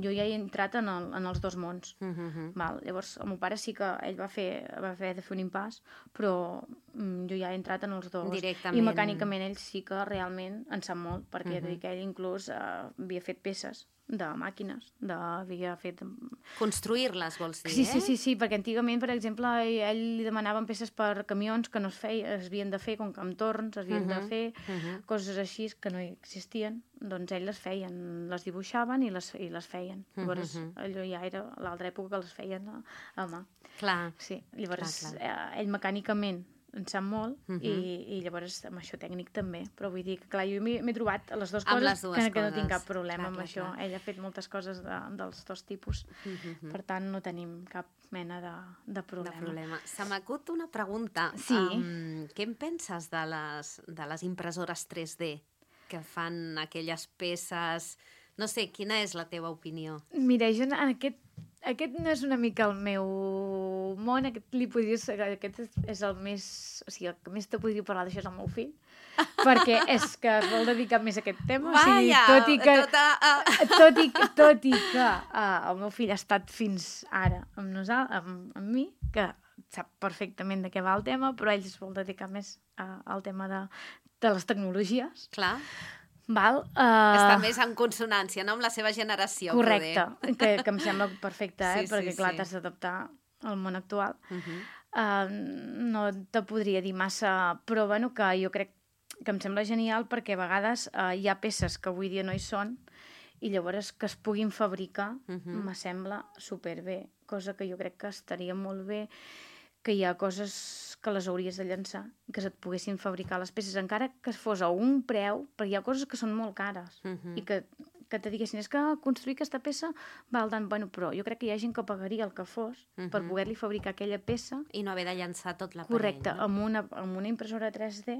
jo ja he entrat en, el, en els dos mons. Uh -huh. Val? Llavors, el meu pare sí que ell va fer, va haver de fer un impàs, però mm, jo ja he entrat en els dos. Directament. I mecànicament ell sí que realment en sap molt, perquè uh Uh-huh. -huh. ell inclús eh, havia fet peces de màquines, de, havia fet... Construir-les, vols dir, Sí, eh? sí, sí, sí, perquè antigament, per exemple, a ell li demanaven peces per camions que no es feia, es havien de fer, com que amb torns es havien Uh-huh. de fer, Uh-huh. coses així que no existien, doncs ell les feien, les dibuixaven i les, i les feien. Llavors, Uh-huh. allò ja era l'altra època que les feien a, a mà. Clar. Sí, llavors Clar, eh, ell mecànicament en sap molt Uh-huh. i, i llavors amb això tècnic també, però vull dir que clar, jo m'he m'he trobat a les dues Amb coses les dues que, que no tinc coses. cap problema Clar, amb clar, això. clar. Ell ha fet moltes coses de, dels dos tipus, Uh-huh. per tant no tenim cap mena de, de De problema. problema. Se m'acut una pregunta. Sí. Um, què en penses de les, de les impressores tres D que fan aquelles peces? No sé, quina és la teva opinió? Mira, jo en aquest, aquest no és una mica el meu món, aquest li podria ser, aquest és, és el més, o sigui, el que més te podria parlar d'això és el meu fill, perquè és que es vol dedicar més a aquest tema. Vaja, o sigui, tot i que, tota... Uh... tot i, tot i que uh, el meu fill ha estat fins ara amb, nosal, amb, amb mi, que sap perfectament de què va el tema, però ell es vol dedicar més uh, al tema de, de les tecnologies. Clar, Val? Uh, està més en consonància, no?, amb la seva generació. correcte, poder. que, que em sembla perfecte, eh? Sí, sí, perquè clar, sí. t'has d'adaptar al món actual. Uh-huh. Uh, no te podria dir massa, però bueno, que jo crec que em sembla genial perquè a vegades uh, hi ha peces que avui dia no hi són i llavors que es puguin fabricar Uh-huh. me sembla superbé, cosa que jo crec que estaria molt bé, que hi ha coses que les hauries de llançar, que se't poguessin fabricar les peces, encara que fos a un preu, perquè hi ha coses que són molt cares Uh-huh. i que, que te diguessin, és que construir aquesta peça val tant, bueno, però jo crec que hi ha gent que pagaria el que fos uh-huh. per Mhm. poder-li fabricar aquella peça, I no haver de llançar tot l'aparell, correcte, no? amb una, amb una impressora tres D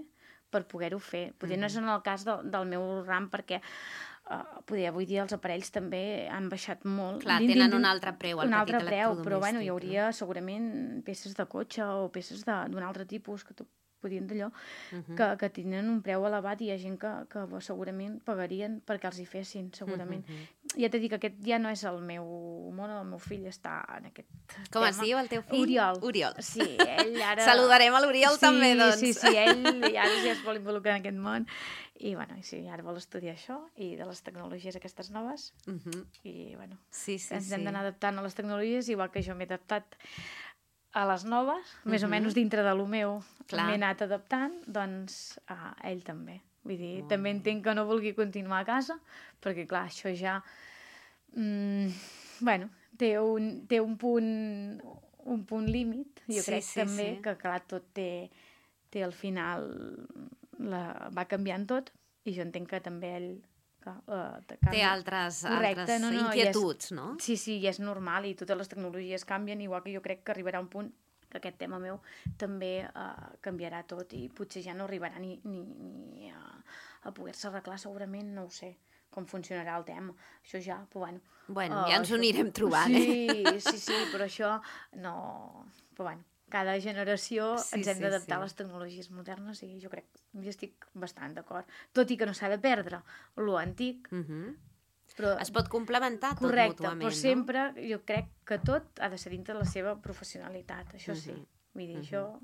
per poder-ho fer. Potser Mhm. no és en el cas de, del meu ram, perquè uh, poder, avui dia els aparells també han baixat molt. Clar, Din- din- tenen din- un altre preu, el un petit altre preu, però bueno, hi electrodomèstic, hauria segurament peces de cotxe o peces de- d'un altre tipus que tu podien d'allò, Uh-huh. que, que tenen un preu elevat i hi ha gent que, que segurament pagarien perquè els hi fessin, segurament. Mhm. Ja t'he dit que aquest ja no és el meu món, el meu fill està en aquest Com tema. es diu el teu fill? Oriol. Oriol. Sí, ell ara... Saludarem a l'Oriol sí, també, doncs. Sí, sí, ell ja, ja es vol involucrar en aquest món i, bueno, i sí, ara vol estudiar això i de les tecnologies aquestes noves Uh-huh. i, bueno, Sí, sí, ens sí. hem d'anar adaptant a les tecnologies, igual que jo m'he adaptat a les noves, més o Mhm. menys dintre de lo meu Clar. m'he anat adaptant, doncs a ell també. Vull dir, Molt també bé. entenc que no vulgui continuar a casa, perquè clar, això ja mm, bueno, té un, té un punt un punt límit, jo Sí, crec sí, també sí. que clar, tot té, té al final la, va canviant tot i jo entenc que també ell clar, uh, Té altres, Correcte, altres no, no, i és- inquietuds, no? Sí, sí, i és normal i totes les tecnologies canvien, igual que jo crec que arribarà un punt que aquest tema meu també uh, canviarà tot i potser ja no arribarà ni, ni, ni a, a poder-se arreglar segurament, no ho sé com funcionarà el tema, això ja, però bueno... Bueno, uh, ja ens ho això- anirem trobant, sí, eh? Sí, sí, però això no... Però bueno, cada generació Sí, ens hem sí, d'adaptar sí. a les tecnologies modernes i jo crec, jo estic bastant d'acord. Tot i que no s'ha de perdre lo antic, Uh-huh. però Es pot complementar tot correcte, mútuament, però sempre jo crec que tot ha de ser dintre de la seva professionalitat, això sí. Mhm. Vull dir, Mhm. això... no?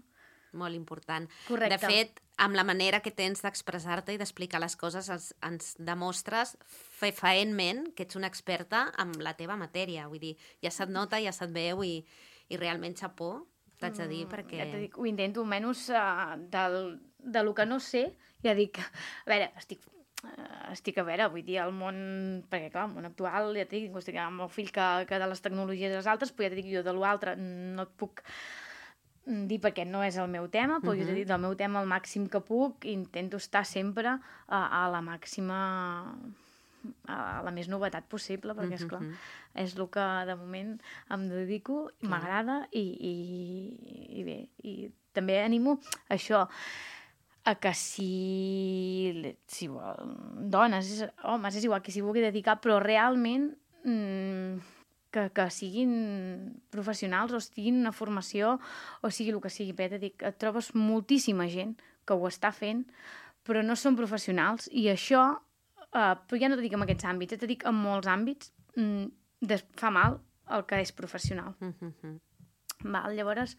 Molt important. Correcte. De fet, amb la manera que tens d'expressar-te i d'explicar les coses ens, ens demostres fefaentment que ets una experta en la teva matèria. Vull dir, ja se't nota, ja se't veu i, i realment xapó, t'haig de dir, perquè... Ja t'ho dic, ho intento, almenys uh, del, de lo que no sé, ja dic, a veure, estic, uh, estic a veure, vull dir, el món, perquè clar, el món actual, ja t'he dit, estic amb el fill que, que de les tecnologies les altres, però ja t'he dit, jo de l'altre no et puc dir perquè no és el meu tema, però uh -huh. jo t'he dit del meu tema el màxim que puc, intento estar sempre a, a la màxima a la més novetat possible, perquè, esclar, Mhm. és el que de moment em dedico, m'agrada i, i, i bé, i també animo això, a que si, si vol, dones, homes, és igual que s'hi vulgui dedicar, però realment mmm, que, que siguin professionals o estiguin una formació o sigui el que sigui, bé, dic, et trobes moltíssima gent que ho està fent, però no són professionals i això, eh, però ja no t'ho dic en aquests àmbits, ja t'ho dic en molts àmbits, mm, des, fa mal el que és professional. Uh-huh. Val, llavors,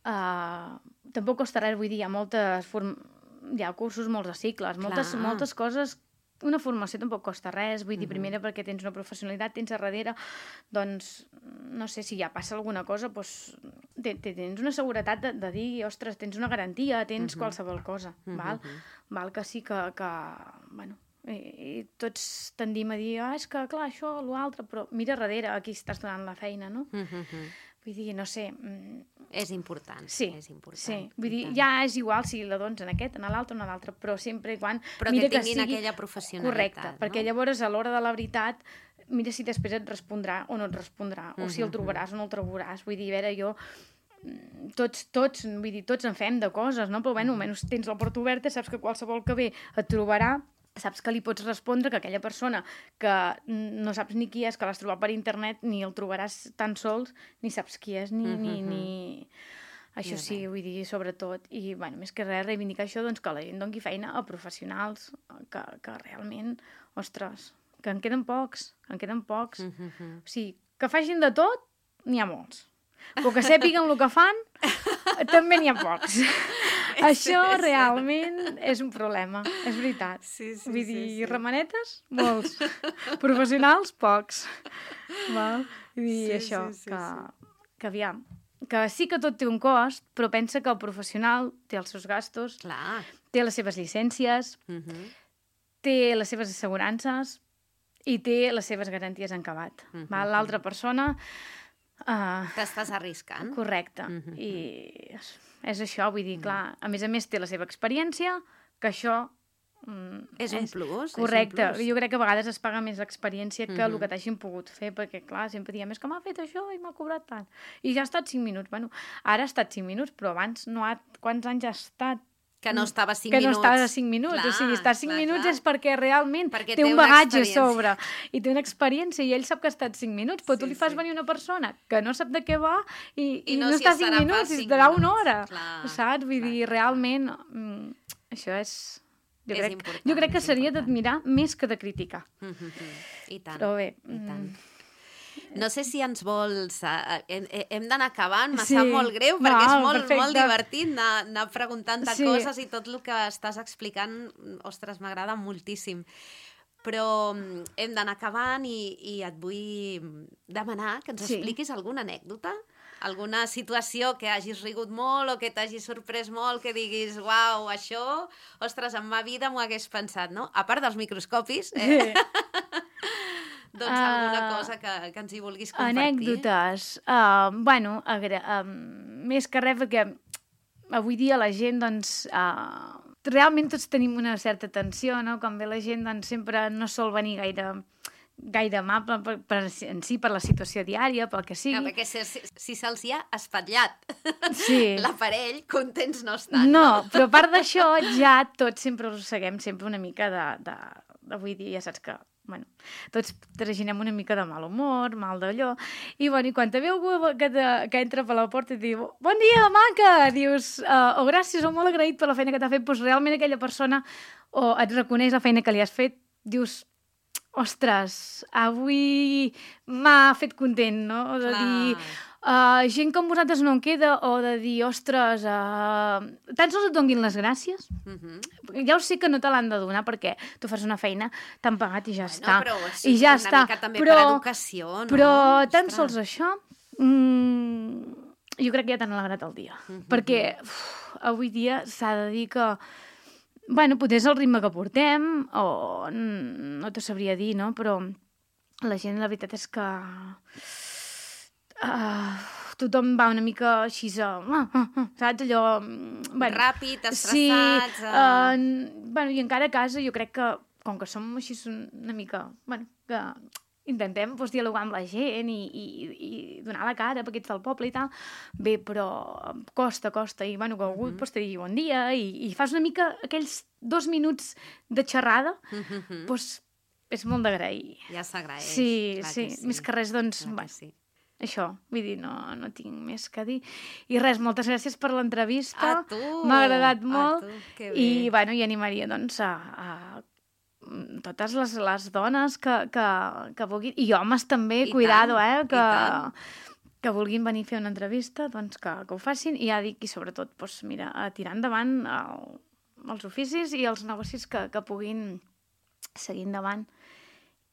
uh, tampoc costa res, vull dir, hi ha moltes form... hi ha cursos, molts de cicles, moltes, moltes coses. Una formació tampoc costa res, vull dir, uh-huh. primera perquè tens una professionalitat, tens a darrere, doncs, no sé, si ja passa alguna cosa, doncs, tens una seguretat de, de dir, ostres, tens una garantia, tens uh-huh. qualsevol cosa, uh-huh. val? Val que sí que, que bueno, i, i tots tendim a dir, ah, és que, clar, això, l'altre, però mira darrere a qui estàs donant la feina, no? Uh-huh. Vull dir, no sé... És important. Sí, és important. Sí. Vull dir, ja és igual si la dones en aquest, en l'altre o en l'altre, però sempre i quan... Però mira que tinguin que sigui... aquella professionalitat, correcte, no? perquè llavors a l'hora de la veritat, mira si després et respondrà o no et respondrà, o si el trobaràs o no el trobaràs. Vull dir, a veure, jo... Tots, tots, vull dir, tots en fem de coses, no? Però, bueno, almenys tens la porta oberta, saps que qualsevol que ve et trobarà, saps que li pots respondre, que aquella persona que no saps ni qui és, que l'has trobat per internet, ni el trobaràs tan sols, ni saps qui és, ni... ni, ni... Això sí, vull dir, sobretot. I, bueno, més que res, reivindicar això, doncs, que la gent doni feina a professionals que, que realment, ostres, que en queden pocs, que en queden pocs. Uh-huh. O sigui, que facin de tot, n'hi ha molts. Però que sàpiguen el que fan, també n'hi ha pocs. Això realment és un problema, és veritat. Sí, sí, Vull dir, sí, sí. Remanetes, molts. Professionals, pocs. Val? Vull dir, Sí, això, sí, sí, que, sí. que aviam, que sí que tot té un cost, però pensa que el professional té els seus gastos, Clar. té les seves llicències, Uh-huh. té les seves assegurances i té les seves garanties en acabat. Uh-huh. Val? L'altra persona... Uh, T'estàs arriscant. correcte. Uh-huh. I és, és això, vull dir, clar, a més a més té la seva experiència, que això... Mm, És un plus. correcte. És un plus. Jo crec que a vegades es paga més l'experiència que Mhm. el que t'hagin pogut fer, perquè, clar, sempre diem, és que m'ha fet això i m'ha cobrat tant. I ja ha estat cinc minuts. Bueno, ara ha estat cinc minuts, però abans no ha... Quants anys ha estat? Que no estava cinc que minuts. no estava a cinc minuts. Clar, o sigui, estar cinc clar, minuts clar. és perquè realment Perquè té té un una bagatge a experiència. sobre i té una experiència i ell sap que ha estat cinc minuts, però Sí, tu li fas sí. venir una persona que no sap de què va i, I i no no, si està cinc estarà minuts, per i cinc estarà una minuts. hora. Clar, saps? Vull clar, dir, clar, realment, mm, això és... Jo És crec, important, jo crec que és seria important. d'admirar més que de criticar. Mhm. I tant. Però bé, I tant. mm, No sé si ens vols... Uh, hem hem d'anar acabant, me Sí. sap molt greu, perquè No, és molt, perfecte. molt divertit anar, anar preguntant-te Sí. coses i tot el que estàs explicant, ostres, m'agrada moltíssim. Però mm, hem d'anar acabant i, i et vull demanar que ens Sí. expliquis alguna anècdota, alguna situació que hagis rigut molt o que t'hagi sorprès molt, que diguis, uau, això, ostres, en ma vida m'ho hagués pensat, no? A part dels microscopis, eh? sí. doncs Ah, alguna cosa que, que ens hi vulguis compartir. Anècdotes. Uh, bueno, agra uh, més que res, perquè avui dia la gent, doncs, uh, realment tots tenim una certa tensió, no? Quan ve la gent, doncs, sempre no sol venir gaire gaire amable per, per, en si, per la situació diària, pel que sigui. No, perquè si, si, si se'ls hi ha espatllat Sí. l'aparell, contents no estan. No, però a part d'això, ja tots sempre arrosseguem sempre una mica de, de, de... Avui dia ja saps que, bueno, tots traginem una mica de mal humor, mal d'allò, i, bueno, i quan te ve algú que, te, que entra per la porta i et diu, bon dia, maca! Dius, uh, o oh, gràcies, o molt agraït per la feina que t'ha fet, doncs realment aquella persona o et reconeix la feina que li has fet, dius, ostres, avui m'ha fet content, no? O de Clar. dir, uh, gent com vosaltres no en queda, o de dir, ostres, uh, tan sols et donguin les gràcies. Mhm. Ja ho sé que no te l'han de donar perquè tu fas una feina, t'han pagat i ja Bueno, està. però sí, I ja una està. mica també però, per educació, no? Però tan Ostres. sols això, mm, jo crec que ja t'han alegrat el dia. Mhm. Perquè uf, avui dia s'ha de dir que bueno, potser és el ritme que portem, o no t'ho sabria dir, no? Però la gent, la veritat és que uh, tothom va una mica així, uh, uh, uh, saps? Allò... Bueno, Ràpid, sí, estressats... uh, eh... bueno, i encara a casa jo crec que, com que som així una mica... Bueno, que intentem doncs, dialogar amb la gent i, i, i donar la cara perquè ets del poble i tal, bé, però costa, costa, i bueno, que algú Mhm. pues, te digui bon dia i, i fas una mica aquells dos minuts de xerrada, Mhm. doncs és molt d'agrair. Ja s'agraeix. Sí, clar sí, que sí, més que res, doncs, clar que bueno, sí. això, vull dir, no, no tinc més que dir. I res, moltes gràcies per l'entrevista. A tu! M'ha agradat A molt. tu, que bé. I, bueno, i animaria, doncs, a, a totes les, les dones que, que, que vulguin, i homes també, I cuidado, tant, eh, que, que vulguin venir a fer una entrevista, doncs que, que ho facin, i ja dic, i sobretot, doncs, mira, a tirar endavant el, els oficis i els negocis que, que puguin seguir endavant.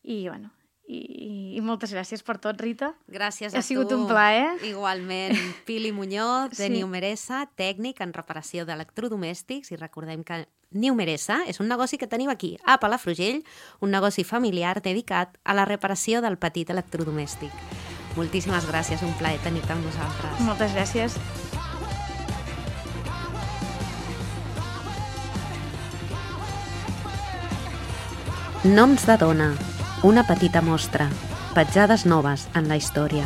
I, bueno, i, i moltes gràcies per tot, Rita. Gràcies a tu. Ha sigut un plaer. Igualment, Pili Muñoz, de Sí. Niumeresa, tècnic en reparació d'electrodomèstics, i recordem que Niumeresa és un negoci que tenim aquí, a Palafrugell, un negoci familiar dedicat a la reparació del petit electrodomèstic. Moltíssimes gràcies, un plaer tenir-te amb nosaltres. Moltes gràcies. Noms de dona, una petita mostra, petjades noves en la història.